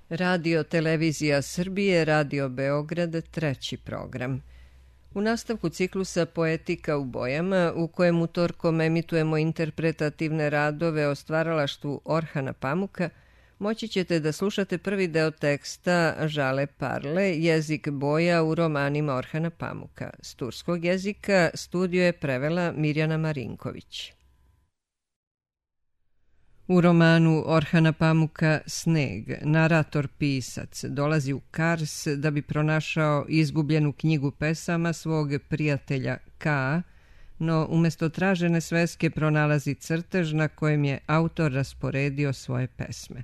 Radio Televizija Srbije, Radio Beograd, treći program. U nastavku ciklusa Poetika u bojama, u kojem utorkom emitujemo interpretativne radove o stvaralaštvu Orhana Pamuka, moći ćete da slušate prvi deo teksta Žale Parle, jezik boja u romanima Orhana Pamuka. S turskog jezika studio je prevela Mirjana Marinković. U romanu Orhana Pamuka Sneg, narator pisac dolazi u Kars da bi pronašao izgubljenu knjigu pesama svog prijatelja Ka, no umjesto tražene sveske pronalazi crtež na kojem je autor rasporedio svoje pesme.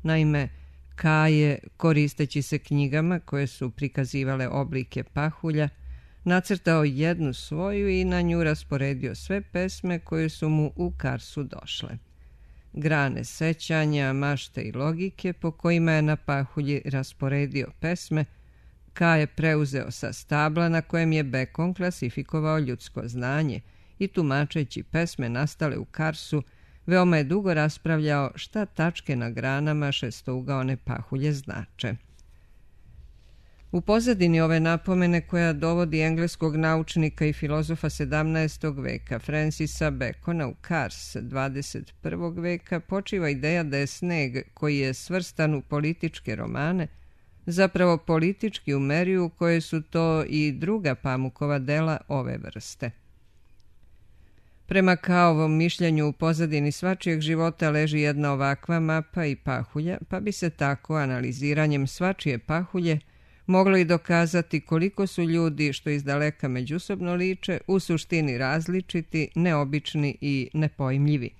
Naime, Ka je, koristeći se knjigama koje su prikazivale oblike pahulja, nacrtao jednu svoju i na nju rasporedio sve pesme koje su mu u Karsu došle. Grane sećanja, mašte i logike po kojima je na pahulji rasporedio pesme, Ka je preuzeo sa stabla na kojem je Bekon klasifikovao ljudsko znanje i tumačeći pesme nastale u Karsu, veoma je dugo raspravljao šta tačke na granama šestougaone pahulje znače. U pozadini ove napomene koja dovodi engleskog naučnika i filozofa 17. veka Francisa Bacona u Kars 21. veka počiva ideja da je Sneg, koji je svrstan u političke romane, zapravo politički u meri u koje su to i druga Pamukova dela ove vrste. Prema Kaovom mišljenju u pozadini svačijeg života leži jedna ovakva mapa i pahulja, pa bi se tako analiziranjem svačije pahulje moglo i dokazati koliko su ljudi što izdaleka međusobno liče u suštini različiti, neobični i nepojmljivi.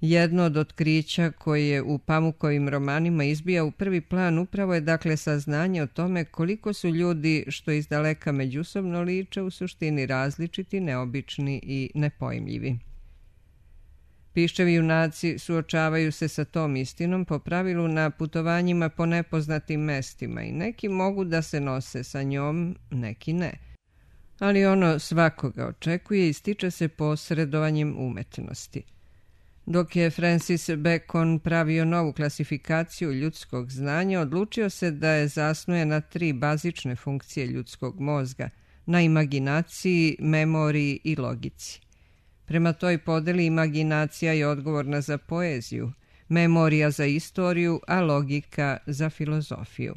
Jedno od otkrića koje u Pamukovim romanima izbija u prvi plan upravo je dakle saznanje o tome koliko su ljudi što izdaleka međusobno liče u suštini različiti, neobični i nepojmljivi. Piščevi junaci suočavaju se sa tom istinom po pravilu na putovanjima po nepoznatim mestima i neki mogu da se nose sa njom, neki ne. Ali ono svakoga očekuje i stiče se posredovanjem umetnosti. Dok je Francis Bacon pravio novu klasifikaciju ljudskog znanja, odlučio se da je zasnuje na 3 bazične funkcije ljudskog mozga, na imaginaciji, memoriji i logici. Prema toj podeli imaginacija je odgovorna za poeziju, memorija za istoriju, a logika za filozofiju.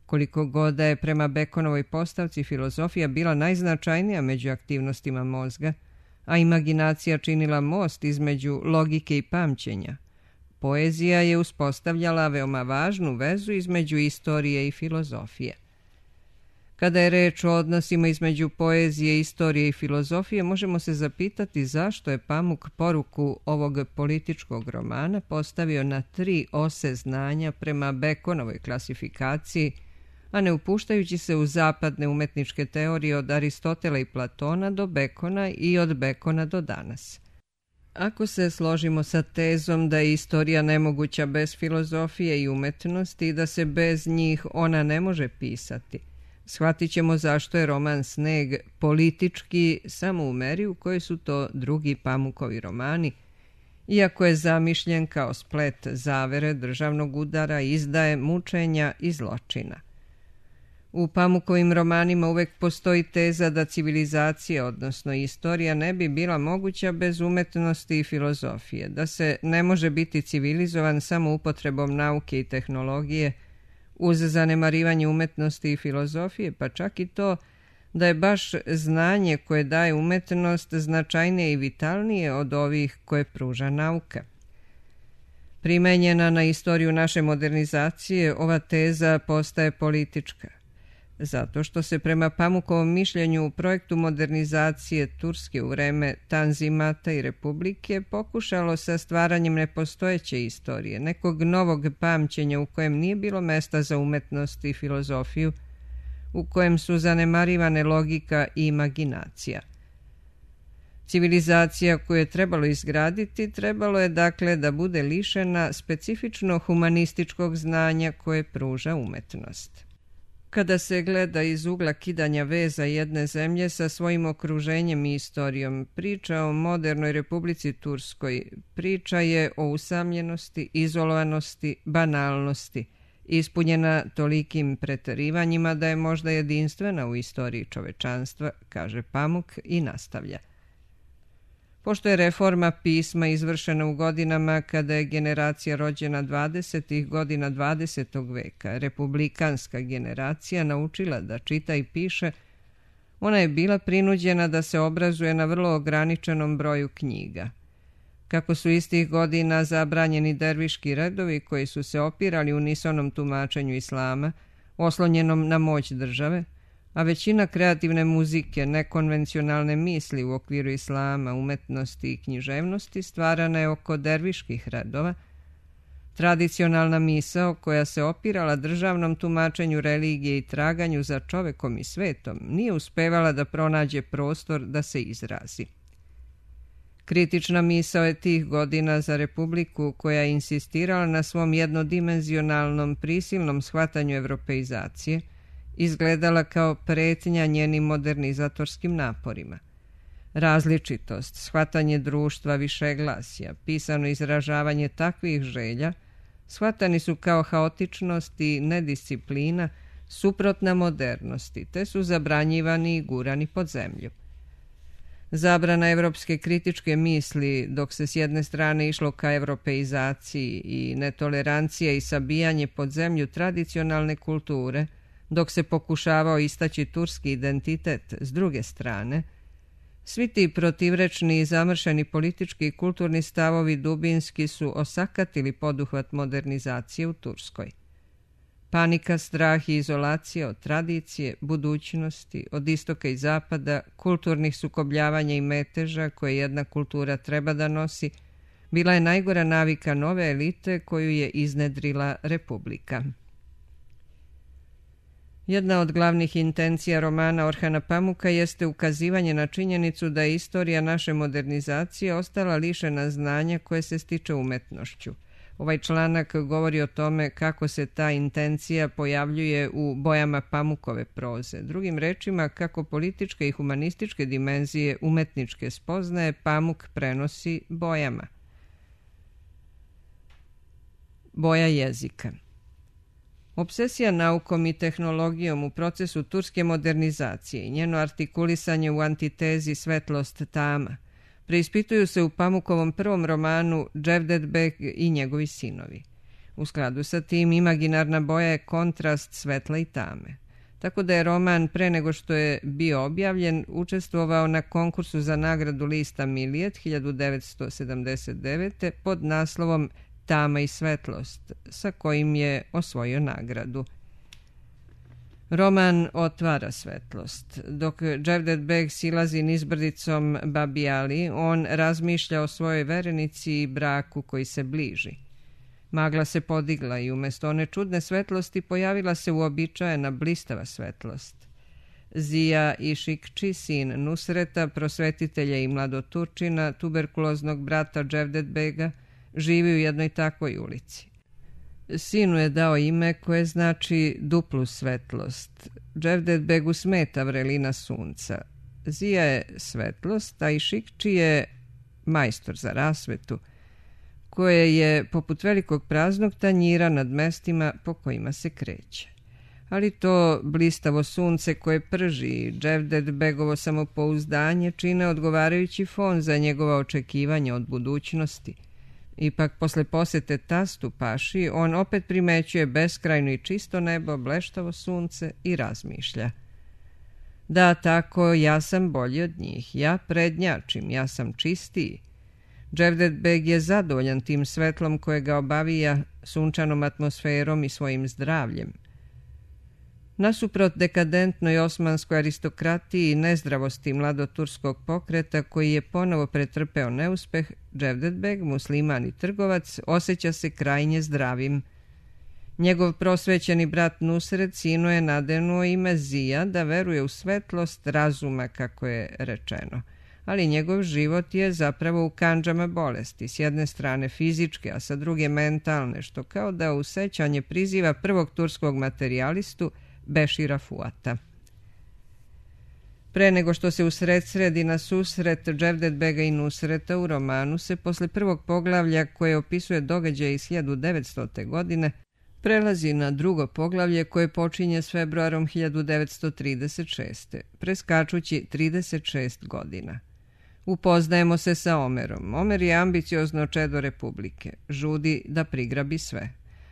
Koliko god da je prema Baconovoj postavci filozofija bila najznačajnija među aktivnostima mozga, a imaginacija činila most između logike i pamćenja, poezija je uspostavljala veoma važnu vezu između istorije i filozofije. Kada je reč o odnosima između poezije, istorije i filozofije, možemo se zapitati zašto je Pamuk poruku ovog političkog romana postavio na 3 ose znanja prema Baconovoj klasifikaciji, a ne upuštajući se u zapadne umetničke teorije od Aristotela i Platona do Bacona i od Bacona do danas. Ako se složimo sa tezom da je istorija nemoguća bez filozofije i umetnosti i da se bez njih ona ne može pisati, shvatit ćemo zašto je roman Sneg politički samo u meri u kojoj su to drugi Pamukovi romani, iako je zamišljen kao splet zavere, državnog udara, izdaje, mučenja i zločina. U Pamukovim romanima uvek postoji teza da civilizacija, odnosno istorija, ne bi bila moguća bez umetnosti i filozofije, da se ne može biti civilizovan samo upotrebom nauke i tehnologije, uz zanemarivanje umetnosti i filozofije, pa čak i to da je baš znanje koje daje umetnost značajnije i vitalnije od ovih koje pruža nauka. Primenjena na istoriju naše modernizacije, ova teza postaje politička, zato što se prema Pamukovom mišljenju u projektu modernizacije Turske u vreme Tanzimata i Republike pokušalo sa stvaranjem nepostojeće istorije, nekog novog pamćenja u kojem nije bilo mesta za umetnost i filozofiju, u kojem su zanemarivane logika i imaginacija. Civilizacija koju je trebalo izgraditi, trebalo je dakle da bude lišena specifično humanističkog znanja koje pruža umetnost. Kada se gleda iz ugla kidanja veza jedne zemlje sa svojim okruženjem i istorijom, priča o modernoj Republici Turskoj priča je o usamljenosti, izolovanosti, banalnosti, ispunjena tolikim preterivanjima da je možda jedinstvena u istoriji čovečanstva, kaže Pamuk i nastavlja. Pošto je reforma pisma izvršena u godinama kada je generacija rođena 20. godina 20. veka, republikanska generacija, naučila da čita i piše, ona je bila prinuđena da se obrazuje na vrlo ograničenom broju knjiga. Kako su istih godina zabranjeni derviški redovi koji su se opirali unisonom tumačenju islama, oslonjenom na moć države, a većina kreativne muzike, nekonvencionalne misli u okviru islama, umetnosti i književnosti stvarana je oko derviških redova, tradicionalna misao koja se opirala državnom tumačenju religije i traganju za čovekom i svetom nije uspevala da pronađe prostor da se izrazi. Kritična misao je tih godina za Republiku koja je insistirala na svom jednodimenzionalnom prisilnom shvatanju evropeizacije, izgledala kao pretnja njenim modernizatorskim naporima. Različitost, shvatanje društva višeglasja, pisano izražavanje takvih želja, shvatani su kao haotičnost i nedisciplina, suprotna modernosti, te su zabranjivani i gurani pod zemlju. Zabrana evropske kritičke misli, dok se s jedne strane išlo ka evropeizaciji i netolerancija i sabijanje pod zemlju tradicionalne kulture, dok se pokušavao istaći turski identitet s druge strane, svi ti protivrečni i zamršeni politički i kulturni stavovi dubinski su osakatili poduhvat modernizacije u Turskoj. Panika, strah i izolacija od tradicije, budućnosti, od istoka i zapada, kulturnih sukobljavanja i meteža koje jedna kultura treba da nosi, bila je najgora navika nove elite koju je iznedrila Republika. Jedna od glavnih intencija romana Orhana Pamuka jeste ukazivanje na činjenicu da je istorija naše modernizacije ostala lišena znanja koje se stiče umetnošću. Ovaj članak govori o tome kako se ta intencija pojavljuje u bojama Pamukove proze. Drugim rečima, kako političke i humanističke dimenzije umetničke spoznaje Pamuk prenosi bojama. Boja jezika. Obsesija naukom i tehnologijom u procesu turske modernizacije i njeno artikulisanje u antitezi svetlost tama preispituju se u Pamukovom prvom romanu Cevdet Beg i njegovi sinovi. U skladu sa tim, imaginarna boja je kontrast svetla i tame. Tako da je roman, pre nego što je bio objavljen, učestvovao na konkursu za nagradu lista Milijet 1979. pod naslovom Tama i svetlost, sa kojim je osvojio nagradu. Roman otvara svetlost. Dok Cevdet Beg silazi nizbrdicom Babi Ali, on razmišlja o svojoj verenici i braku koji se bliži. Magla se podigla i umjesto one čudne svetlosti pojavila se uobičajena blistava svetlost. Zija Išikči, sin Nusreta, prosvetitelja i mladoturčina, tuberkuloznog brata Cevdet Bega, živi u jednoj takvoj ulici. Sinu je dao ime koje znači duplu svetlost. Cevdet Begu smeta vrelina sunca. Zija je svetlost, a Išikči je majstor za rasvetu, koje je poput velikog praznog tanjira nad mestima po kojima se kreće. Ali to blistavo sunce koje prži i Cevdet Begovo samopouzdanje čine odgovarajući fon za njegova očekivanja od budućnosti. Ipak, posle posete tastu paši, on opet primećuje beskrajno i čisto nebo, bleštavo sunce i razmišlja. Da, tako, ja sam bolji od njih, ja prednjačim, ja sam čistiji. Cevdet Beg je zadovoljan tim svetlom koje ga obavija, sunčanom atmosferom i svojim zdravljem. Nasuprot dekadentnoj osmanskoj aristokratiji i nezdravosti mladoturskog pokreta koji je ponovo pretrpeo neuspeh, Cevdet Beg, musliman i trgovac, osjeća se krajnje zdravim. Njegov prosvećeni brat Nusret sinu je nadenuo ime Zija da veruje u svetlost razuma, kako je rečeno. Ali njegov život je zapravo u kandžama bolesti, s jedne strane fizičke, a sa druge mentalne, što kao da u sećanje priziva prvog turskog materijalistu Bešira Fuata. Pre nego što se usredsredi na susret Cevdetbega i Nusreta u romanu se posle prvog poglavlja koje opisuje događaje iz 1900. godine prelazi na drugo poglavlje koje počinje s februarom 1936. preskačući 36 godina. Upoznajemo se sa Omerom. Omer je ambiciozno čedo Republike, žudi da prigrabi sve.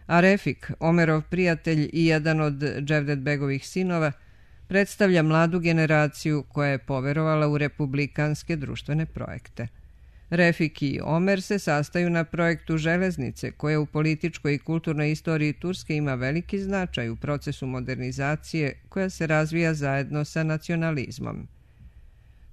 A Refik, Omerov prijatelj i jedan od Cevdetbegovih sinova, predstavlja mladu generaciju koja je poverovala u republikanske društvene projekte. Refik i Omer se sastaju na projektu železnice koja u političkoj i kulturnoj istoriji Turske ima veliki značaj u procesu modernizacije koja se razvija zajedno sa nacionalizmom.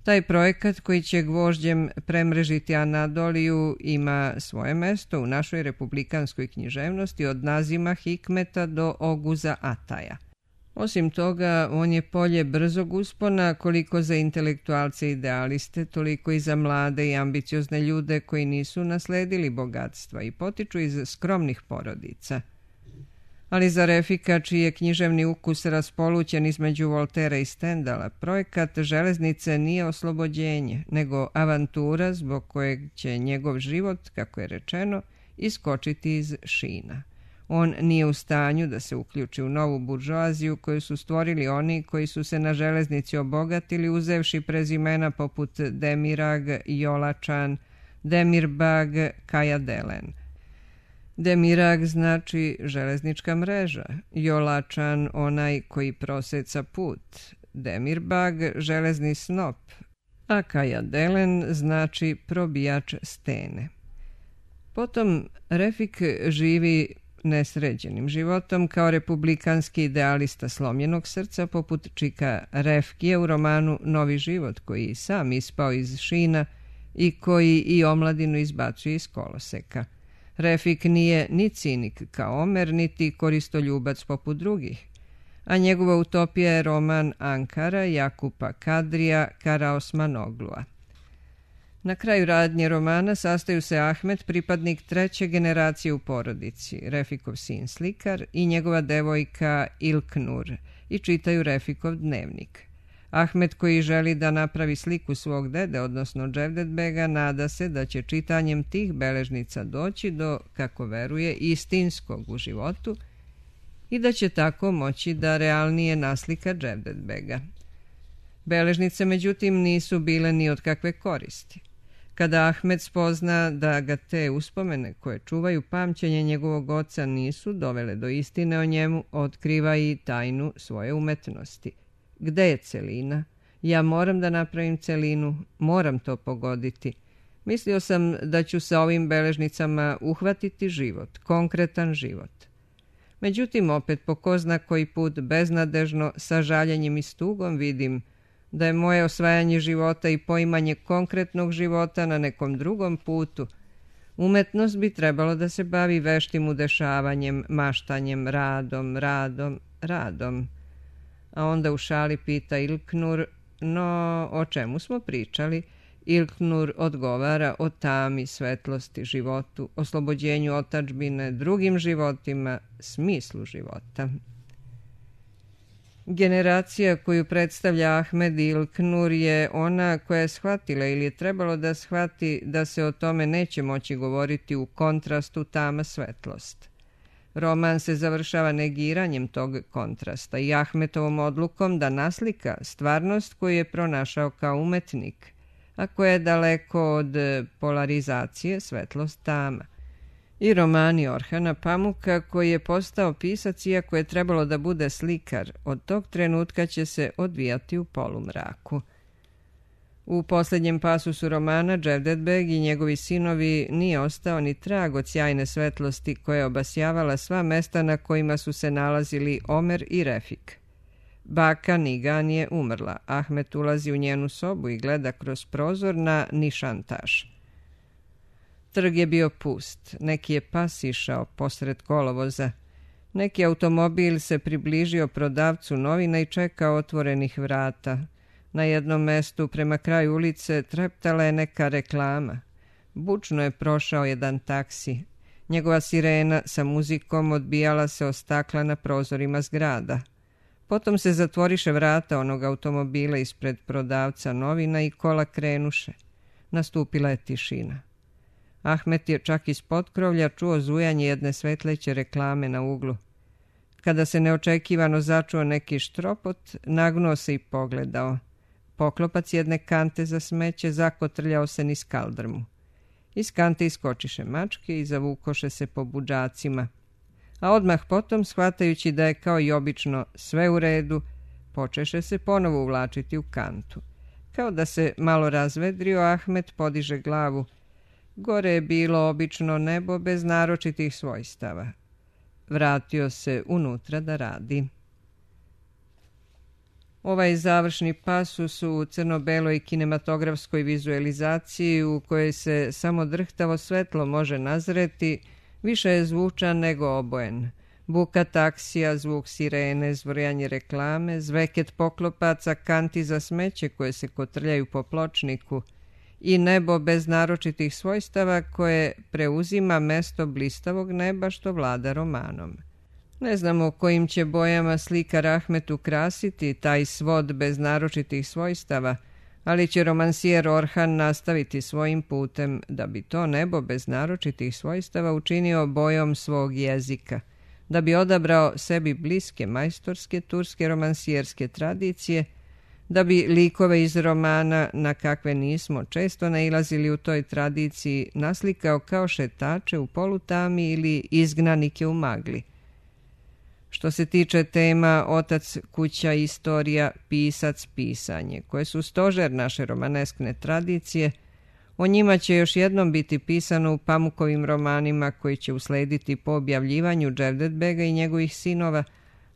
Taj projekat koji će gvožđem premrežiti Anadoliju ima svoje mesto u našoj republikanskoj književnosti od Nazima Hikmeta do Oguza Ataja. Osim toga, on je polje brzog uspona koliko za intelektualce i idealiste, toliko i za mlade i ambiciozne ljude koji nisu nasledili bogatstva i potiču iz skromnih porodica. Ali za Refika, čiji je književni ukus raspolućen između Voltera i Stendala, projekat železnice nije oslobođenje, nego avantura zbog kojeg će njegov život, kako je rečeno, iskočiti iz šina. On nije u stanju da se uključi u novu buržoaziju koju su stvorili oni koji su se na železnici obogatili uzevši prezimena poput Demirag, Jolačan, Demirbag, Kajadelen. Demirag znači železnička mreža, Jolačan onaj koji proseca put, Demirbag železni snop, a Kajadelen znači probijač stene. Potom Refik živi nesređenim životom kao republikanski idealista slomljenog srca poput Čika Refkije u romanu Novi život koji sam ispao iz šina i koji i omladinu izbacuje iz koloseka. Refik nije ni cinik kao Omer, niti koristoljubac poput drugih, a njegova utopija je roman Ankara Jakupa Kadrija Karaosmanoglua. Na kraju radnje romana sastaju se Ahmet, pripadnik treće generacije u porodici, Refikov sin slikar i njegova devojka Ilknur i čitaju Refikov dnevnik. Ahmet koji želi da napravi sliku svog dede, odnosno Cevdetbega, nada se da će čitanjem tih beležnica doći do, kako veruje, istinskog u životu i da će tako moći da realnije naslika Cevdetbega. Beležnice, međutim, nisu bile ni od kakve koristi. Kada Ahmed spozna da ga te uspomene koje čuvaju pamćenje njegovog oca nisu dovele do istine o njemu, otkriva i tajnu svoje umetnosti. Gde je celina? Ja moram da napravim celinu, moram to pogoditi. Mislio sam da ću sa ovim beležnicama uhvatiti život, konkretan život. Međutim, opet po ko zna koji put beznadežno, sa žaljenjem i stugom vidim da je moje osvajanje života i poimanje konkretnog života na nekom drugom putu. Umetnost bi trebalo da se bavi veštim udešavanjem, maštanjem, radom. A onda u šali pita Ilknur, no o čemu smo pričali? Ilknur odgovara o tami, svetlosti, životu, oslobođenju otadžbine, drugim životima, smislu života. Generacija koju predstavlja Ahmed Ilknur je ona koja je shvatila ili je trebalo da shvati da se o tome neće moći govoriti u kontrastu tama svetlost. Roman se završava negiranjem tog kontrasta i Ahmetovom odlukom da naslika stvarnost koju je pronašao kao umetnik, a koja je daleko od polarizacije svetlost tama. I romani Orhana Pamuka koji je postao pisac iako je trebalo da bude slikar, od tog trenutka će se odvijati u polumraku. U posljednjem pasusu romana Cevdetbeg i njegovi sinovi nije ostao ni trag od sjajne svetlosti koja je obasjavala sva mesta na kojima su se nalazili Omer i Refik. Baka Nigan je umrla. Ahmet ulazi u njenu sobu i gleda kroz prozor na Nišantaš. Trg je bio pust. Neki je pas išao posred kolovoza. Neki automobil se približio prodavcu novina i čekao otvorenih vrata. Na jednom mestu prema kraju ulice treptala je neka reklama. Bučno je prošao jedan taksi. Njegova sirena sa muzikom odbijala se o stakla na prozorima zgrada. Potom se zatvoriše vrata onog automobila ispred prodavca novina i kola krenuše. Nastupila je tišina. Ahmet je čak iz potkrovlja čuo zujanje jedne svetleće reklame na uglu. Kada se neočekivano začuo neki štropot, nagnuo se i pogledao. Poklopac jedne kante za smeće zakotrljao se niz kaldrmu. Iz kante iskočiše mačke i zavukoše se po budžacima. A odmah potom, shvatajući da je kao i obično sve u redu, počeše se ponovo uvlačiti u kantu. Kao da se malo razvedrio, Ahmet podiže glavu. Gore je bilo obično nebo bez naročitih svojstava. Vratio se unutra da radi. Ovaj završni pasus u crno-beloj kinematografskoj vizualizaciji u kojoj se samo drhtavo svetlo može nazreti, više je zvučan nego obojen. Buka taksija, zvuk sirene, zvrjanje reklame, zveket poklopaca, kanti za smeće koje se kotrljaju po pločniku i nebo bez naročitih svojstava koje preuzima mesto blistavog neba što vlada romanom. Ne znamo kojim će bojama slikar Ahmet ukrasiti taj svod bez naročitih svojstava, ali će romansijer Orhan nastaviti svojim putem da bi to nebo bez naročitih svojstava učinio bojom svog jezika, da bi odabrao sebi bliske majstorske turske romansijerske tradicije, da bi likove iz romana, na kakve nismo često nailazili u toj tradiciji, naslikao kao šetače u polutami ili izgnanike u magli. Što se tiče tema otac, kuća, istorija, pisac, pisanje, koje su stožer naše romaneskne tradicije, o njima će još jednom biti pisano u Pamukovim romanima koji će uslediti po objavljivanju Cevdet-bega i njegovih sinova,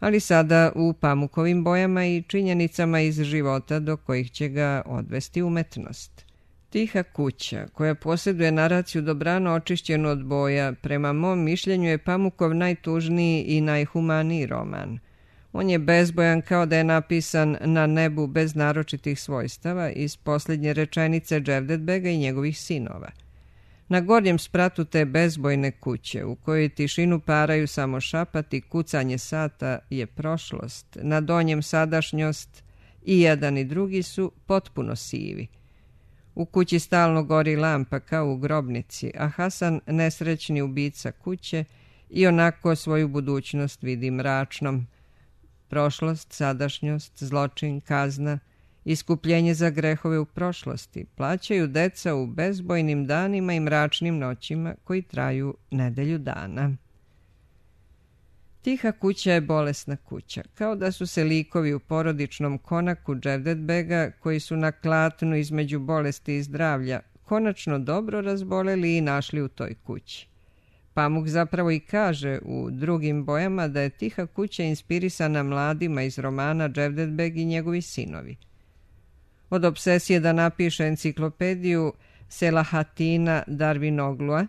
ali sada u Pamukovim bojama i činjenicama iz života do kojih će ga odvesti umetnost. Tiha kuća, koja posjeduje naraciju dobrano očišćenu od boja, prema mom mišljenju je Pamukov najtužniji i najhumaniji roman. On je bezbojan kao da je napisan na nebu bez naročitih svojstava iz posljednje rečenice Cevdet-bega i njegovih sinova. Na gornjem spratu te bezbojne kuće, u kojoj tišinu paraju samo šapat i kucanje sata, je prošlost, na donjem sadašnjost i jedan i drugi su potpuno sivi. U kući stalno gori lampa kao u grobnici, a Hasan, nesrećni ubica kuće, i onako svoju budućnost vidi mračnom. Prošlost, sadašnjost, zločin, kazna, iskupljenje za grehove u prošlosti plaćaju deca u bezbojnim danima i mračnim noćima koji traju nedelju dana. Tiha kuća je bolesna kuća, kao da su se likovi u porodičnom konaku Cevdet-bega, koji su na klatnu između bolesti i zdravlja, konačno dobro razboleli i našli u toj kući. Pamuk zapravo i kaže u drugim bojama da je tiha kuća inspirisana mladima iz romana Cevdet-beg i njegovi sinovi. Od obsesije da napiše enciklopediju Selahatina Darwinoglua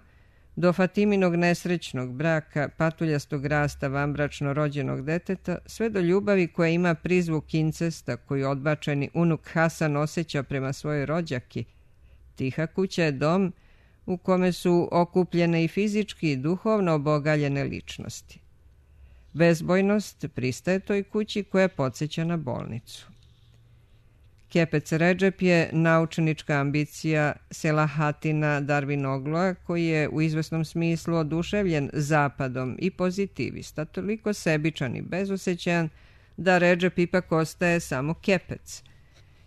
do Fatiminog nesrećnog braka, patuljastog rasta vanbračno rođenog deteta, sve do ljubavi koja ima prizvuk incesta koju odbačeni unuk Hasan osjeća prema svojoj rođaki, tiha kuća je dom u kome su okupljene i fizički i duhovno obogaljene ličnosti. Bezbojnost pristaje toj kući koja podsjeća na bolnicu. Kepec Redžep je naučnička ambicija Selahatina Darwinoglua, koji je u izvesnom smislu oduševljen zapadom i pozitivista, toliko sebičan i bezosećajan da Redžep ipak ostaje samo kepec.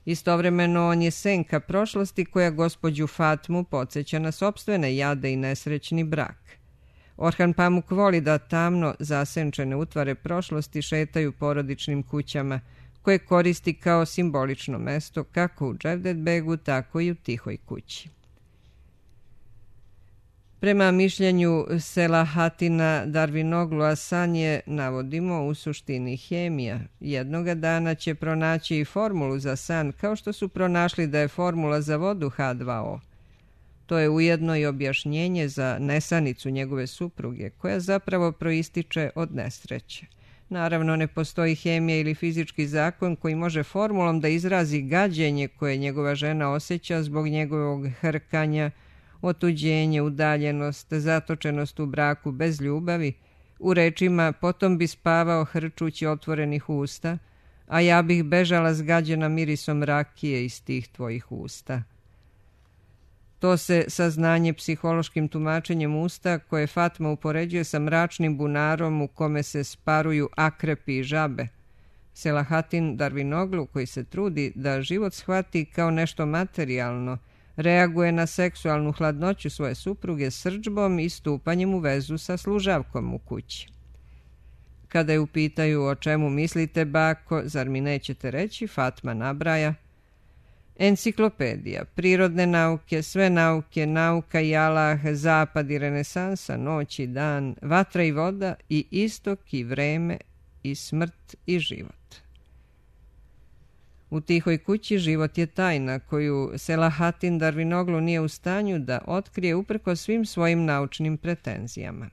Istovremeno on je senka prošlosti koja gospođu Fatmu podsjeća na sopstvene jade i nesrećni brak. Orhan Pamuk voli da tamno zasenčene utvare prošlosti šetaju porodičnim kućama, koje koristi kao simbolično mesto kako u Cevdet-begu, tako i u tihoj kući. Prema mišljenju Selahatina Darwinoglua, san je, navodimo, u suštini hemija. Jednoga dana će pronaći i formulu za san, kao što su pronašli da je formula za vodu H2O. To je ujedno i objašnjenje za nesanicu njegove supruge, koja zapravo proističe od nesreće. Naravno, ne postoji hemija ili fizički zakon koji može formulom da izrazi gađenje koje njegova žena osjeća zbog njegovog hrkanja, otuđenje, udaljenost, zatočenost u braku bez ljubavi. U rečima potom bi spavao hrčući otvorenih usta, a ja bih bežala zgađena mirisom rakije iz tih tvojih usta. To se saznanje psihološkim tumačenjem usta koje Fatma upoređuje sa mračnim bunarom u kome se sparuju akrepi i žabe. Selahattin Darvinoglu, koji se trudi da život shvati kao nešto materijalno, reaguje na seksualnu hladnoću svoje supruge srdžbom i stupanjem u vezu sa služavkom u kući. Kada je upitaju o čemu mislite, bako, zar mi nećete reći, Fatma nabraja: enciklopedija, prirodne nauke, sve nauke, nauka i Allah, zapad i renesansa, noć i dan, vatra i voda i istok i vreme i smrt i život. U tihoj kući život je tajna koju Selahattin Darvinoglu nije u stanju da otkrije uprkos svim svojim naučnim pretenzijama.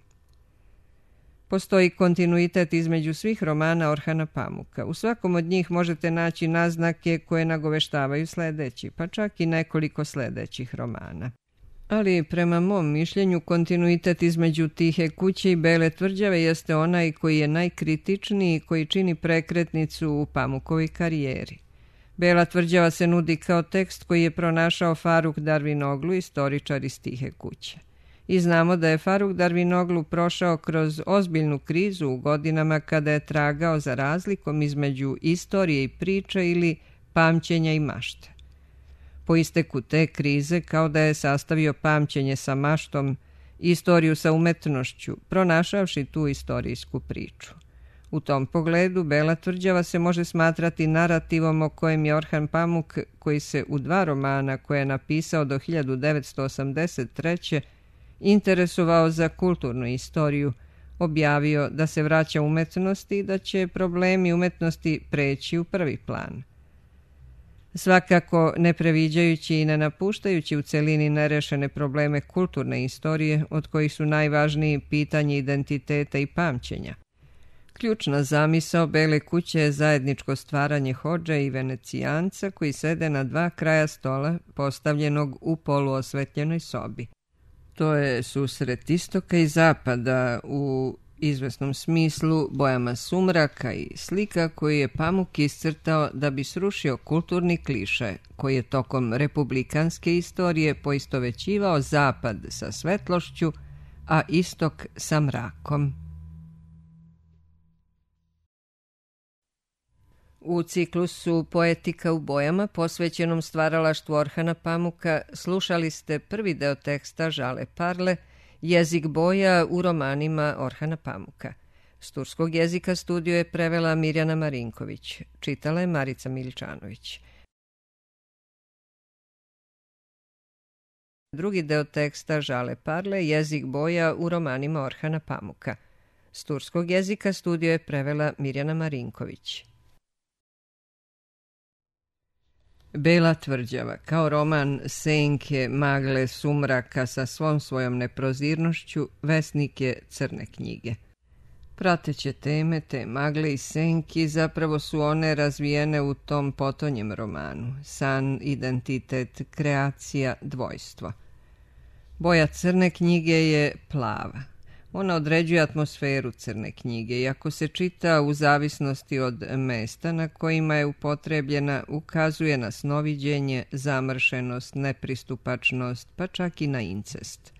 Postoji kontinuitet između svih romana Orhana Pamuka. U svakom od njih možete naći naznake koje nagoveštavaju sljedeći, pa čak i nekoliko sljedećih romana. Ali prema mom mišljenju kontinuitet između Tihe kuće i Bele tvrđave jeste onaj koji je najkritičniji i koji čini prekretnicu u Pamukovoj karijeri. Bela tvrđava se nudi kao tekst koji je pronašao Faruk Darvinoglu, istoričar iz Tihe kuće. I znamo da je Faruk Darvinoglu prošao kroz ozbiljnu krizu u godinama kada je tragao za razlikom između istorije i priče ili pamćenja i mašte. Po isteku te krize, kao da je sastavio pamćenje sa maštom, istoriju sa umetnošću, pronašavši tu istorijsku priču. U tom pogledu Bela tvrđava se može smatrati narativom o kojem je Orhan Pamuk, koji se u 2 romana koje je napisao do 1983. interesovao za kulturnu istoriju, objavio da se vraća umetnosti i da će problemi umetnosti preći u prvi plan. Svakako ne previđajući i ne napuštajući u celini nerešene probleme kulturne istorije, od kojih su najvažniji pitanje identiteta i pamćenja. Ključna zamisao Bele kuće je zajedničko stvaranje hodže i venecijanca koji sede na 2 kraja stola postavljenog u poluosvetljenoj sobi. To je susret istoka i zapada u izvesnom smislu bojama sumraka i slika koju je Pamuk iscrtao da bi srušio kulturni kliše koji je tokom republikanske istorije poistovećivao zapad sa svetlošću, a istok sa mrakom. U ciklusu Poetika u bojama, posvećenom stvaralaštvu Orhana Pamuka, slušali ste prvi deo teksta Žale Parle, Jezik boja u romanima Orhana Pamuka. S turskog jezika studio je prevela Mirjana Marinković. Čitala je Marica Miličanović. Drugi deo teksta Žale Parle, Jezik boja u romanima Orhana Pamuka. S turskog jezika studio je prevela Mirjana Marinković. Bela tvrđava, kao roman senke, magle, sumraka sa svom svojom neprozirnošću, vesnik je Crne knjige. Prateće teme, te magle i senki, zapravo su one razvijene u tom potonjem romanu. San, identitet, kreacija, dvojstvo. Boja Crne knjige je plava. Ona određuje atmosferu Crne knjige i ako se čita u zavisnosti od mesta na kojima je upotrebljena, ukazuje na snoviđenje, zamršenost, nepristupačnost, pa čak i na incest.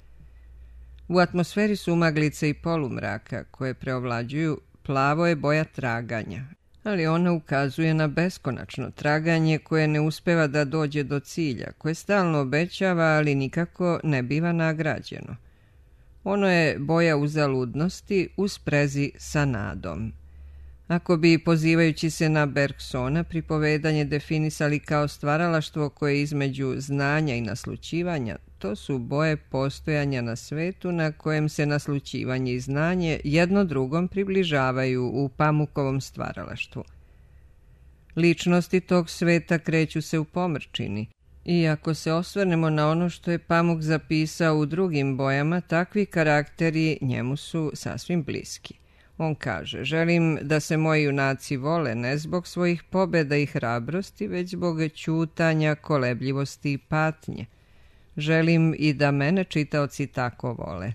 U atmosferi sumaglice i polumraka koje preovlađuju, plavo je boja traganja, ali ona ukazuje na beskonačno traganje koje ne uspeva da dođe do cilja, koje stalno obećava, ali nikako ne biva nagrađeno. Ono je boja uzaludnosti u sprezi sa nadom. Ako bi, pozivajući se na Bergsona, pripovedanje definisali kao stvaralaštvo koje je između znanja i naslućivanja, to su boje postojanja na svetu na kojem se naslućivanje i znanje jedno drugom približavaju u Pamukovom stvaralaštvu. Ličnosti tog sveta kreću se u pomrčini. I ako se osvrnemo na ono što je Pamuk zapisao u drugim bojama, takvi karakteri njemu su sasvim bliski. On kaže: želim da se moji junaci vole ne zbog svojih pobjeda i hrabrosti, već zbog ćutanja, kolebljivosti i patnje. Želim i da mene čitaoci tako vole.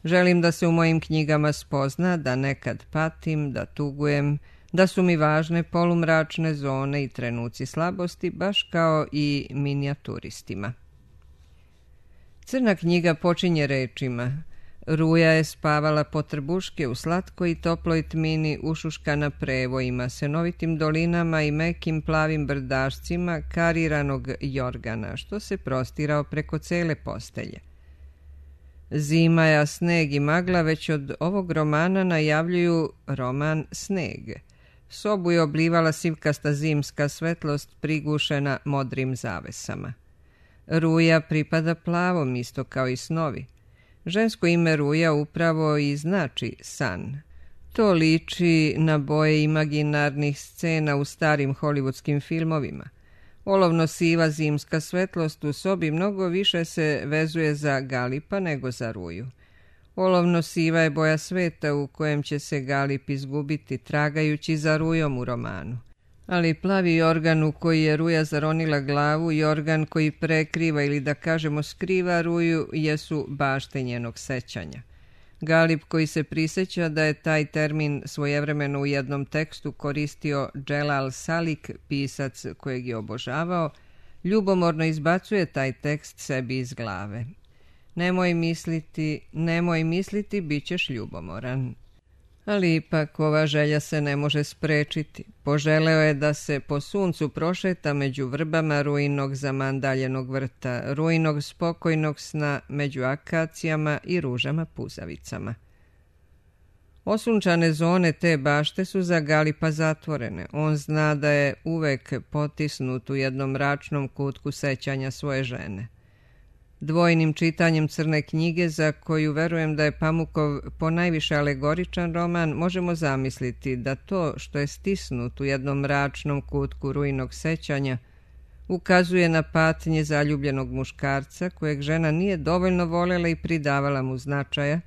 Želim da se u mojim knjigama spozna da nekad patim, da tugujem, da su mi važne polumračne zone i trenuci slabosti, baš kao i minijaturistima. Crna knjiga počinje rečima: Ruja je spavala po trbuške u slatkoj i toploj tmini, ušuškana prevojima, senovitim dolinama i mekim plavim brdašcima kariranog jorgana, što se prostirao preko cele postelje. Zima, sneg i magla već od ovog romana najavljuju roman Sneg. Sobu je oblivala sivkasta zimska svetlost prigušena modrim zavesama. Ruja pripada plavom, isto kao i snovi. Žensko ime Ruja upravo i znači san. To liči na boje imaginarnih scena u starim hollywoodskim filmovima. Olovno siva zimska svetlost u sobi mnogo više se vezuje za Galipa nego za Ruju. Olovno siva je boja sveta u kojem će se Galip izgubiti tragajući za Rujom u romanu. Ali plavi jorgan u koji je Ruja zaronila glavu, jorgan koji prekriva ili da kažemo skriva Ruju, jesu bašte njenog sećanja. Galip koji se prisjeća da je taj termin svojevremeno u jednom tekstu koristio Dželal Salik, pisac kojeg je obožavao, ljubomorno izbacuje taj tekst sebi iz glave. Nemoj misliti, bit ćeš ljubomoran. Ali ipak ova želja se ne može sprečiti. Poželeo je da se po suncu prošeta među vrbama Rujinog zamandaljenog vrta, Rujinog spokojnog sna među akacijama i ružama puzavicama. Osunčane zone te bašte su za Galipa zatvorene. On zna da je uvek potisnut u jednom mračnom kutku sećanja svoje žene. Dvojnim čitanjem Crne knjige, za koju verujem da je Pamukov ponajviše alegoričan roman, možemo zamisliti da to što je stisnut u jednom mračnom kutku Rujinog sećanja ukazuje na patnje zaljubljenog muškarca kojeg žena nije dovoljno voljela i pridavala mu značaja,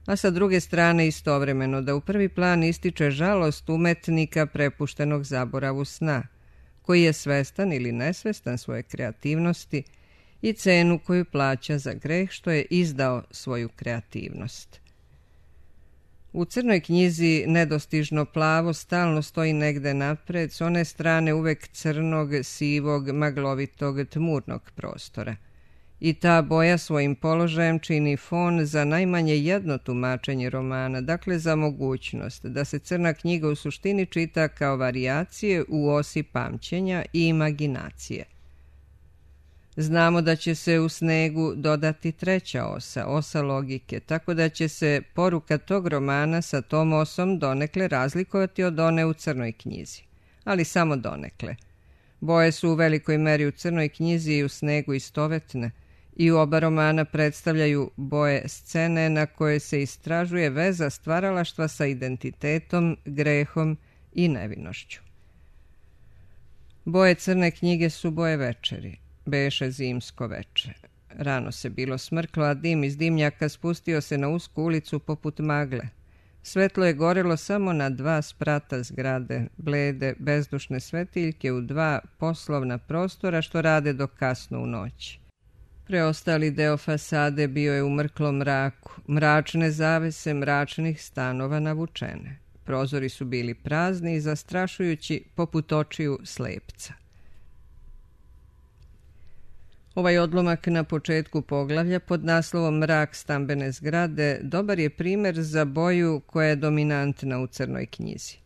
a sa druge strane istovremeno da u prvi plan ističe žalost umetnika prepuštenog zaboravu sna, koji je svestan ili nesvestan svoje kreativnosti i cenu koju plaća za greh što je izdao svoju kreativnost. U Crnoj knjizi nedostižno plavo stalno stoji negde napred, s one strane uvek crnog, sivog, maglovitog, tmurnog prostora. I ta boja svojim položajem čini fon za najmanje jedno tumačenje romana, dakle za mogućnost da se Crna knjiga u suštini čita kao varijacije u osi pamćenja i imaginacije. Znamo da će se u Snegu dodati treća osa, osa logike, tako da će se poruka tog romana sa tom osom donekle razlikovati od one u Crnoj knjizi. Ali samo donekle. Boje su u velikoj meri u Crnoj knjizi i u Snegu istovetne i u oba romana predstavljaju boje scene na koje se istražuje veza stvaralaštva sa identitetom, grehom i nevinošću. Boje Crne knjige su boje večeri. Beše zimsko veče. Rano se bilo smrklo, a dim iz dimnjaka spustio se na usku ulicu poput magle. Svetlo je gorelo samo na 2 sprata zgrade, blede, bezdušne svetiljke u 2 poslovna prostora što rade do kasno u noći. Preostali deo fasade bio je u mrklom mraku, mračne zavese mračnih stanova navučene. Prozori su bili prazni i zastrašujući poput očiju slepca. Ovaj odlomak na početku poglavlja pod naslovom Mrak stambene zgrade dobar je primer za boju koja je dominantna u Crnoj knjizi.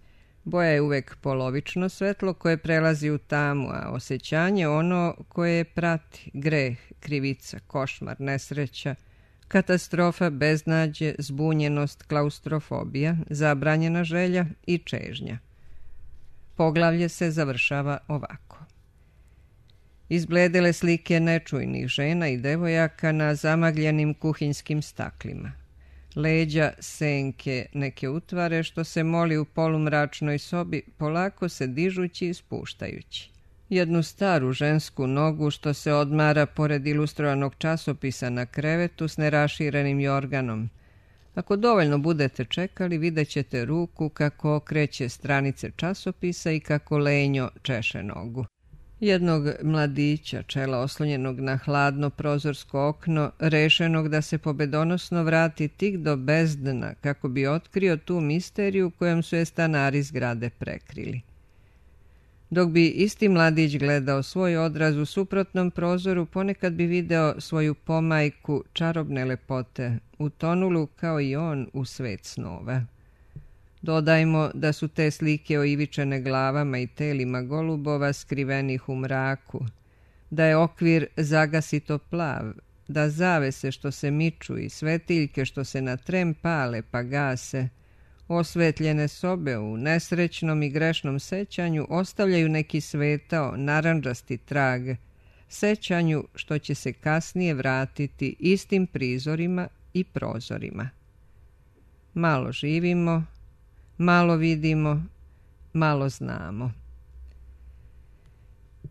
Boja je uvek polovično svetlo koje prelazi u tamu, a osjećanje ono koje je prati, greh, krivica, košmar, nesreća, katastrofa, beznađe, zbunjenost, klaustrofobija, zabranjena želja i čežnja. Poglavlje se završava ovako. Izbledele slike nečujnih žena i devojaka na zamagljenim kuhinjskim staklima. Leđa, senke, neke utvare što se moli u polumračnoj sobi, polako se dižući i spuštajući. Jednu staru žensku nogu što se odmara pored ilustrovanog časopisa na krevetu s neraširenim jorganom. Ako dovoljno budete čekali, vidjet ćete ruku kako okreće stranice časopisa i kako lenjo češe nogu. Jednog mladića, čela oslonjenog na hladno prozorsko okno, rešenog da se pobedonosno vrati tik do bezdna kako bi otkrio tu misteriju kojom su je stanari zgrade prekrili. Dok bi isti mladić gledao svoj odraz u suprotnom prozoru, ponekad bi video svoju pomajku čarobne lepote, utonulu kao i on u svet snova. Dodajmo da su te slike oivičene glavama i telima golubova skrivenih u mraku, da je okvir zagasito plav, da zavese što se miču i svetiljke što se na tren pale pa gase, osvetljene sobe u nesrećnom i grešnom sećanju ostavljaju neki svetao, narandžasti trag, sećanju što će se kasnije vratiti istim prizorima i prozorima. Malo živimo, malo vidimo, malo znamo.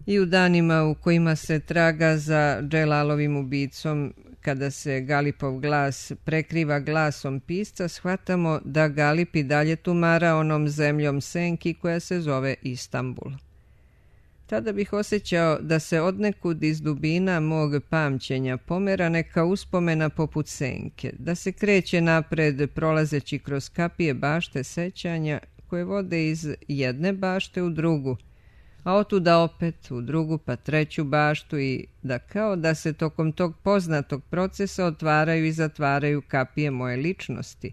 I u danima u kojima se traga za Dželalovim ubicom, kada se Galipov glas prekriva glasom pisca, shvatamo da Galip i dalje tumara onom zemljom senki koja se zove Istanbul. Tada bih osjećao da se odnekud iz dubina mog pamćenja pomera neka uspomena poput senke, da se kreće napred prolazeći kroz kapije bašte sećanja koje vode iz jedne bašte u drugu, a otuda opet u drugu pa treću baštu i da kao da se tokom tog poznatog procesa otvaraju i zatvaraju kapije moje ličnosti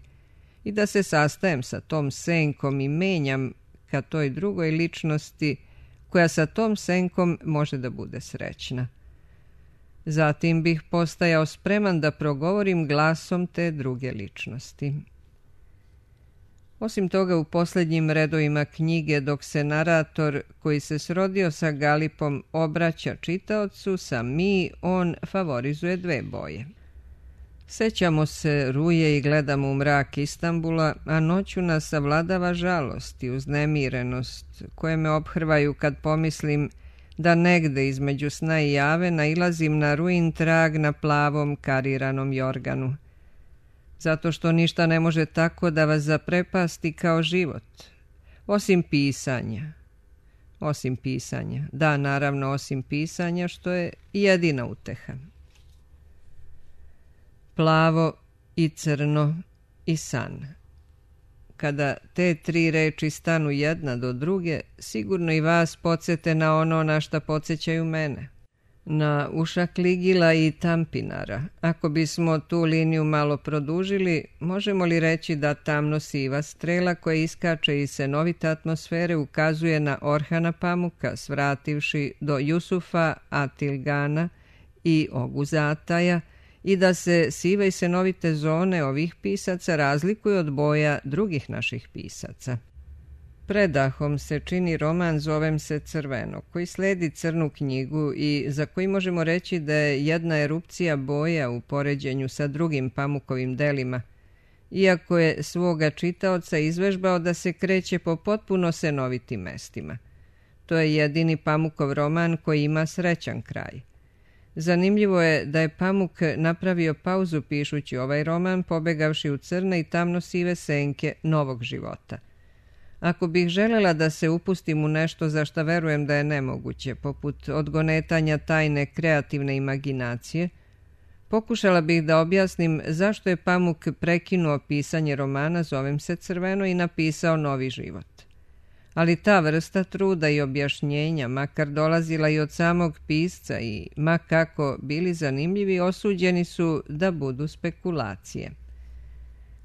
i da se sastajem sa tom senkom i menjam ka toj drugoj ličnosti koja sa tom senkom može da bude srećna. Zatim bih postajao spreman da progovorim glasom te druge ličnosti. Osim toga, u posljednjim redovima knjige, dok se narator koji se srodio sa Galipom obraća čitaocu sa mi, on favorizuje dve boje. Sećamo se ruje i gledamo u mrak Istanbula, a noću nas savladava žalost i uznemirenost koje me ophrvaju kad pomislim da negde između sna i jave nailazim na ruin trag na plavom kariranom jorganu. Zato što ništa ne može tako da vas zaprepasti kao život. Osim pisanja. Osim pisanja. Da, naravno, osim pisanja, što je jedina uteha. Plavo i crno i san. Kada te tri reči stanu jedna do druge, sigurno i vas podsjete na ono na šta podsjećaju mene. Na Ušakligila i Tampinara. Ako bismo tu liniju malo produžili, možemo li reći da tamno siva strela koja iskače iz senovite atmosfere ukazuje na Orhana Pamuka, svrativši do Jusufa Atilgana i Oguzataja, i da se sive i senovite zone ovih pisaca razlikuju od boja drugih naših pisaca. Predahom se čini roman Zovem se crveno, koji sledi crnu knjigu i za koji možemo reći da je jedna erupcija boja u poređenju sa drugim Pamukovim delima, iako je svoga čitaoca izvežbao da se kreće po potpuno senovitim mestima. To je jedini Pamukov roman koji ima srećan kraj. Zanimljivo je da je Pamuk napravio pauzu pišući ovaj roman, pobegavši u crne i tamno sive senke novog života. Ako bih želela da se upustim u nešto za šta verujem da je nemoguće, poput odgonetanja tajne kreativne imaginacije, pokušala bih da objasnim zašto je Pamuk prekinuo pisanje romana Zovem se crveno i napisao novi život. Ali ta vrsta truda i objašnjenja, makar dolazila i od samog pisca i ma kako bili zanimljivi, osuđeni su da budu spekulacije.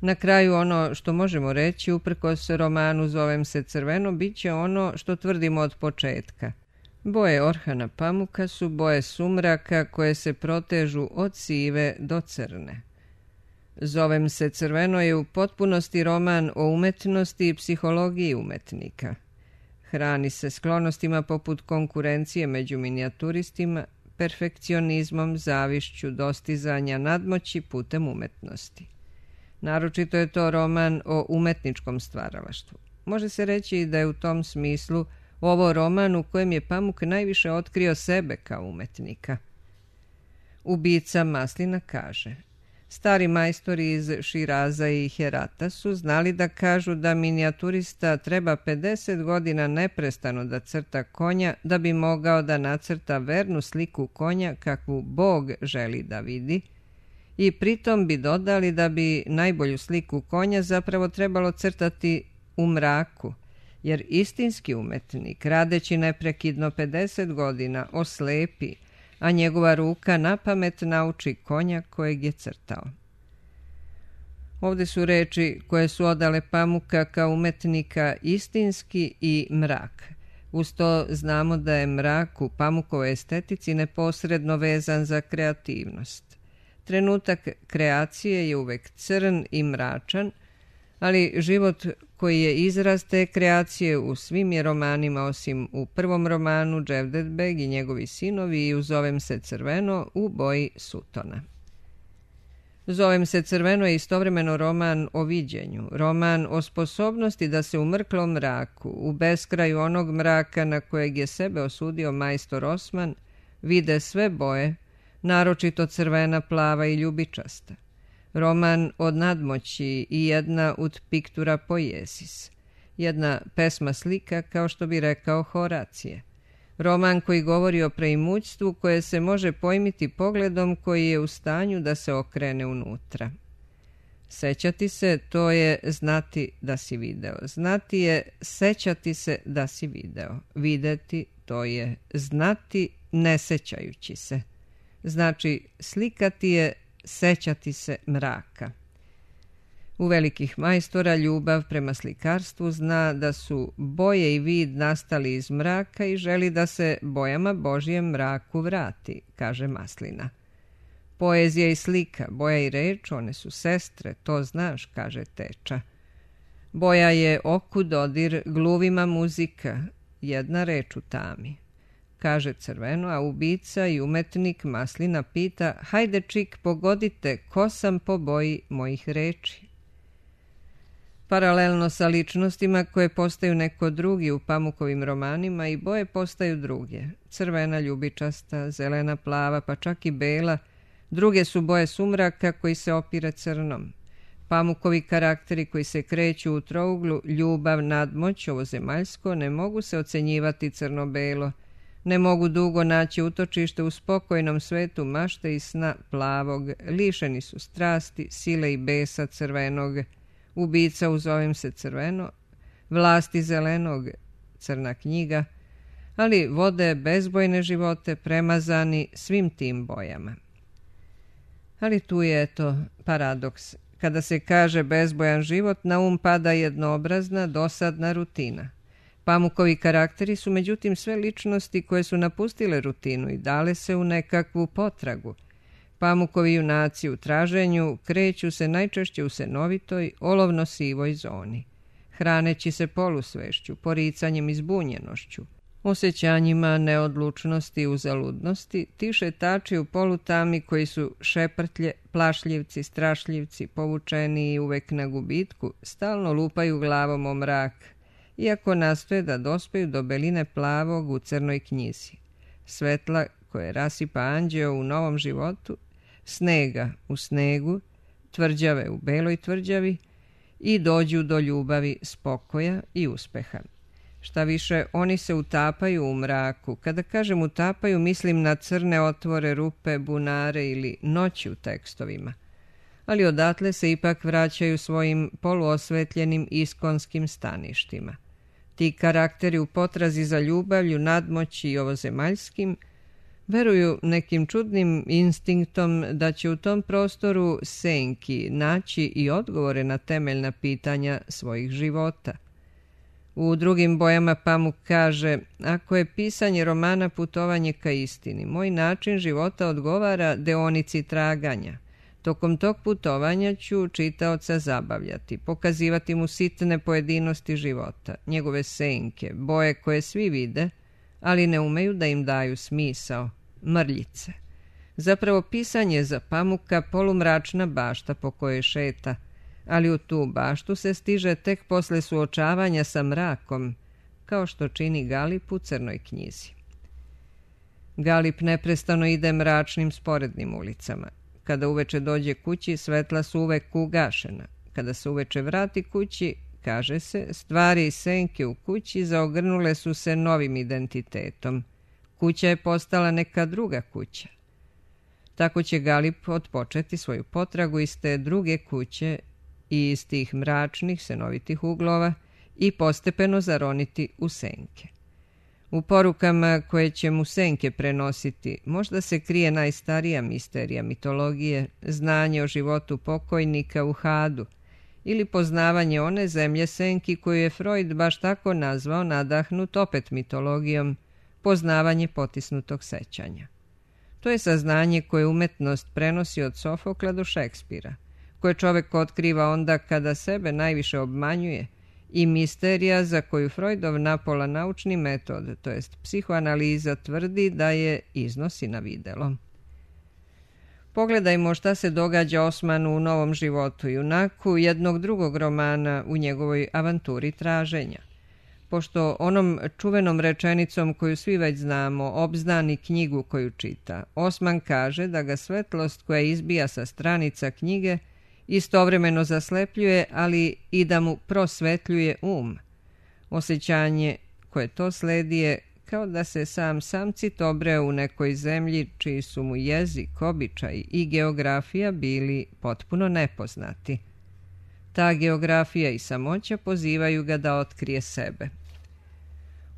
Na kraju ono što možemo reći uprkos romanu Zovem se crveno bit će ono što tvrdimo od početka. Boje Orhana Pamuka su boje sumraka koje se protežu od sive do crne. Zovem se crveno je u potpunosti roman o umetnosti i psihologiji umetnika. Hrani se sklonostima poput konkurencije među minijaturistima, perfekcionizmom, zavišću, dostizanja nadmoći putem umetnosti. Naročito je to roman o umetničkom stvaralaštvu. Može se reći da je u tom smislu ovo roman u kojem je Pamuk najviše otkrio sebe kao umetnika. Ubica Maslina kaže: Stari majstori iz Širaza i Herata su znali da kažu da minijaturista treba 50 godina neprestano da crta konja da bi mogao da nacrta vernu sliku konja kakvu Bog želi da vidi, i pritom bi dodali da bi najbolju sliku konja zapravo trebalo crtati u mraku, jer istinski umetnik, radeći neprekidno 50 godina, oslepi, a njegova ruka napamet nauči konja kojeg je crtao. Ovdje su reči koje su odale Pamuka kao umetnika istinski i mrak. Uz to znamo da je mrak u Pamukovoj estetici neposredno vezan za kreativnost. Trenutak kreacije je uvek crn i mračan, ali život koji je izraz te kreacije u svim je romanima, osim u prvom romanu Cevdet-beg i njegovi sinovi i u Zovem se crveno u boji sutona. Zovem se crveno je istovremeno roman o viđenju, roman o sposobnosti da se u mrklom mraku, u beskraju onog mraka na kojeg je sebe osudio majstor Osman, vide sve boje, naročito crvena, plava i ljubičasta. Roman od nadmoći i jedna ut pictura poiesis, jedna pesma slika, kao što bi rekao Horacije. Roman koji govori o preimućstvu koje se može pojmiti pogledom koji je u stanju da se okrene unutra. Sećati se, to je znati da si video. Znati je sećati se da si video. Videti, to je znati ne sećajući se. Znači, slikati je sećati se mraka. U velikih majstora ljubav prema slikarstvu zna da su boje i vid nastali iz mraka i želi da se bojama Božjem mraku vrati, kaže Maslina. Poezija i slika, boja i reč, one su sestre, to znaš, kaže Teča. Boja je oku dodir, gluvima muzika, jedna reč u tami, kaže Crveno, a ubica i umetnik Maslina pita: hajde čik, pogodite, ko sam po boji mojih reči. Paralelno sa ličnostima koje postaju neko drugi u Pamukovim romanima, i boje postaju druge. Crvena, ljubičasta, zelena, plava, pa čak i bela. Druge su boje sumraka koji se opire crnom. Pamukovi karakteri koji se kreću u trouglu ljubav, nadmoć, ovozemaljsko, ne mogu se ocenjivati crno-belo. Ne mogu dugo naći utočište u spokojnom svetu mašte i sna plavog. Lišeni su strasti, sile i besa crvenog. Ubica u Zovem se crveno, vlasti zelenog, crna knjiga, ali vode bezbojne živote premazani svim tim bojama. Ali tu je, eto, paradoks. Kada se kaže bezbojan život, na um pada jednoobrazna, dosadna rutina. Pamukovi karakteri su međutim sve ličnosti koje su napustile rutinu i dale se u nekakvu potragu. Pamukovi junaci u traženju kreću se najčešće u senovitoj, olovno-sivoj zoni, hraneći se polusvešću, poricanjem i zbunjenošću, osjećanjima neodlučnosti i uzaludnosti, ti šetači u polutami koji su šeprtlje, plašljivci, strašljivci, povučeni i uvek na gubitku, stalno lupaju glavom o mrak, iako nastoje da dospeju do beline plavog u crnoj knjizi, svetla koje rasipa anđeo u novom životu, snega u snegu, tvrđave u beloj tvrđavi i dođu do ljubavi, spokoja i uspeha. Šta više, oni se utapaju u mraku. Kada kažem utapaju, mislim na crne otvore, rupe, bunare ili noći u tekstovima. Ali odatle se ipak vraćaju svojim poluosvetljenim iskonskim staništima. Ti karakteri u potrazi za ljubavlju, nadmoći i ovozemaljskim veruju nekim čudnim instinktom da će u tom prostoru senki naći i odgovore na temeljna pitanja svojih života. U drugim bojama Pamuk kaže: ako je pisanje romana putovanje ka istini, moj način života odgovara deonici traganja. Tokom tog putovanja ću čitaoca zabavljati, pokazivati mu sitne pojedinosti života, njegove senke, boje koje svi vide, ali ne umeju da im daju smisao, mrljice. Zapravo pisanje za Pamuka polumračna bašta po kojoj šeta, ali u tu baštu se stiže tek posle suočavanja sa mrakom, kao što čini Galip u Crnoj knjizi. Galip neprestano ide mračnim sporednim ulicama. Kada uveče dođe kući, svetla su uvek ugašena. Kada se uveče vrati kući, kaže se, stvari i senke u kući zaogrnule su se novim identitetom. Kuća je postala neka druga kuća. Tako će Galip otpočeti svoju potragu iz te druge kuće i iz tih mračnih, senovitih uglova i postepeno zaroniti u senke. U porukama koje će mu senke prenositi možda se krije najstarija misterija mitologije, znanje o životu pokojnika u Hadu ili poznavanje one zemlje senki koju je Freud baš tako nazvao, nadahnut opet mitologijom, poznavanje potisnutog sećanja. To je saznanje koje umetnost prenosi od Sofokla do Šekspira, koje čovek otkriva onda kada sebe najviše obmanjuje, i misterija za koju Freudov napola naučni metod, to jest psihoanaliza, tvrdi da je iznosi na videlo. Pogledajmo šta se događa Osmanu u Novom životu, junaku jednog drugog romana u njegovoj avanturi traženja. Pošto onom čuvenom rečenicom koju svi već znamo obznani knjigu koju čita, Osman kaže da ga svetlost koja izbija sa stranica knjige istovremeno zaslepljuje, ali i da mu prosvetljuje Osjećanje koje to sledi je kao da se sam samcit obreo u nekoj zemlji čiji su mu jezik, običaj i geografija bili potpuno nepoznati. Ta geografija i samoća pozivaju ga da otkrije sebe.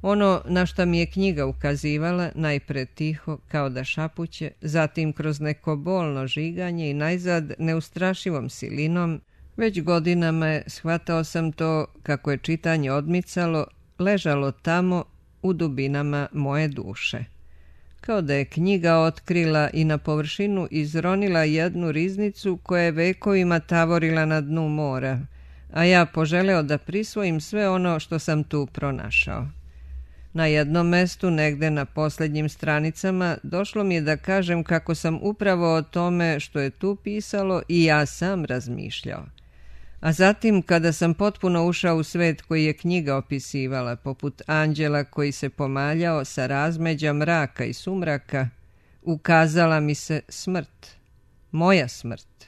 Ono na šta mi je knjiga ukazivala, najpre tiho, kao da šapuće, zatim kroz neko bolno žiganje i najzad neustrašivom silinom, već godinama je, shvatao sam to, kako je čitanje odmicalo, ležalo tamo u dubinama moje duše. Kao da je knjiga otkrila i na površinu izronila jednu riznicu koja je vekovima tavorila na dnu mora, a ja poželeo da prisvojim sve ono što sam tu pronašao. Na jednom mestu, negde na posljednjim stranicama, došlo mi je da kažem kako sam upravo o tome što je tu pisalo i ja sam razmišljao. A zatim, kada sam potpuno ušao u svet koji je knjiga opisivala, poput anđela koji se pomaljao sa razmeđa mraka i sumraka, ukazala mi se smrt, moja smrt.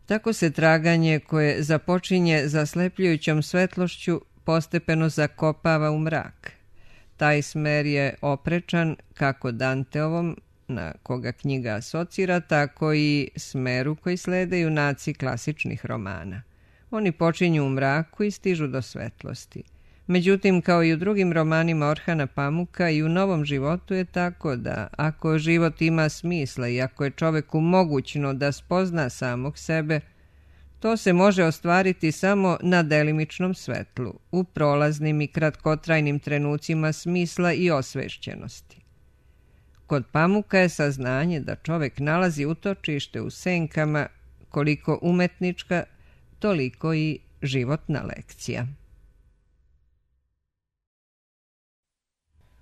Tako se traganje koje započinje zaslepljujućom svetlošću postepeno zakopava u mrak. Taj smer je oprečan kako Danteovom, na koga knjiga asocira, tako i smeru koji slede junaci klasičnih romana. Oni počinju u mraku i stižu do svetlosti. Međutim, kao i u drugim romanima Orhana Pamuka, i u Novom životu je tako da, ako život ima smisla i ako je čoveku mogućno da spozna samog sebe, to se može ostvariti samo na delimičnom svetlu, u prolaznim i kratkotrajnim trenucima smisla i osvešćenosti. Kod Pamuka je saznanje da čovek nalazi utočište u senkama koliko umetnička, toliko i životna lekcija.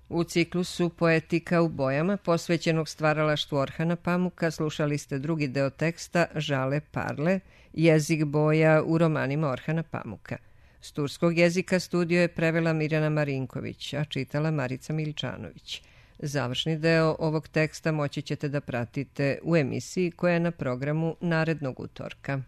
U ciklusu Poetika u bojama, posvećenog stvaralaštvu Orhana Pamuka, slušali ste drugi deo teksta Žale Parle, jezik boja u romanima Orhana Pamuka. S turskog jezika studio je prevela Mirjana Marinković, a čitala Marica Miličanović. Završni deo ovog teksta moći ćete da pratite u emisiji koja je na programu narednog utorka.